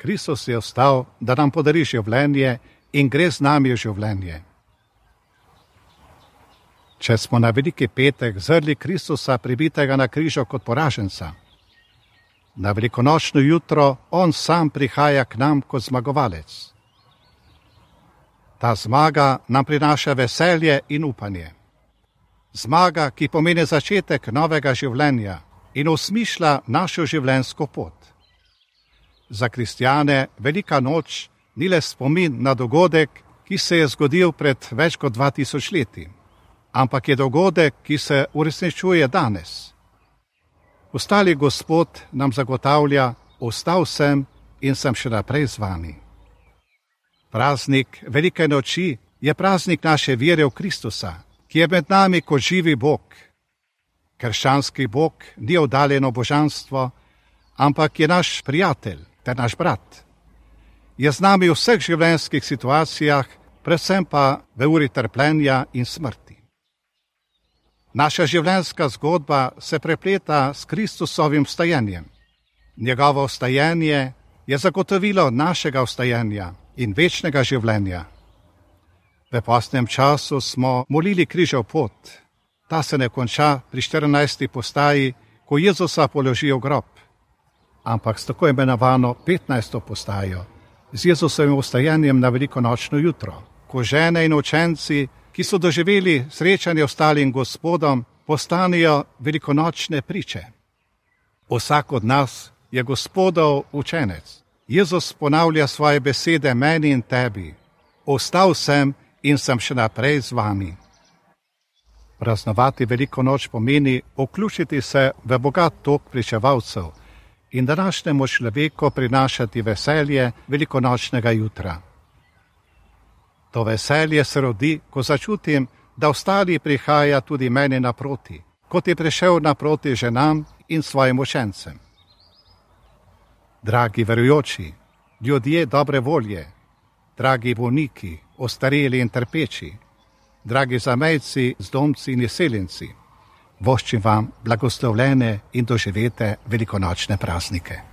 Kristus je ostal, da nam podari življenje in gre z nami v življenje. Če smo na veliki petek zrli Kristusa pribitega na križu kot poraženca, na velikonočno jutro on sam prihaja k nam kot zmagovalec. Ta zmaga nam prinaša veselje in upanje. Zmaga, ki pomeni začetek novega življenja in osmišlja našo življenjsko pot. Za kristjane velika noč ni le spomin na dogodek, ki se je zgodil pred več kot 2000 leti, ampak je dogodek, ki se uresničuje danes. Ostali Gospod nam zagotavlja, ostal sem in sem še naprej z vami. Praznik velike noči je praznik naše vere v Kristusa, ki je med nami kot živi Bog. Krščanski Bog ni oddaljeno božanstvo, ampak je naš prijatelj ter naš brat. Je z nami v vseh življenjskih situacijah, predvsem pa v uri trpljenja in smrti. Naša življenjska zgodba se prepleta s Kristusovim vstajenjem. Njegovo vstajenje je zagotovilo našega vstajenja in večnega življenja. V postnem času smo molili križev pot. Ta se ne konča pri 14. postaji, ko Jezusa položijo v grob, ampak s tako imenovano 15. postajo, z Jezusovim vstajenjem na velikonočno jutro, ko žene in učenci, ki so doživeli srečanje ostalim Gospodom, postanejo velikonočne priče. Vsak od nas je Gospodov učenec. Jezus ponavlja svoje besede meni in tebi. Ostal sem in sem še naprej z vami. Praznovati veliko noč pomeni vključiti se v bogat tok pričevalcev in današnjemu človeku prinašati veselje velikonočnega jutra. To veselje se rodi, ko začutim, da ostali prihaja tudi meni naproti, kot je prišel naproti ženam in svojim učencem. Dragi verujoči, ljudje dobre volje, dragi bolniki, ostareli in trpeči, dragi zamejci, zdomci in izseljenci, voščim vam blagoslovljene in doživete velikonočne praznike.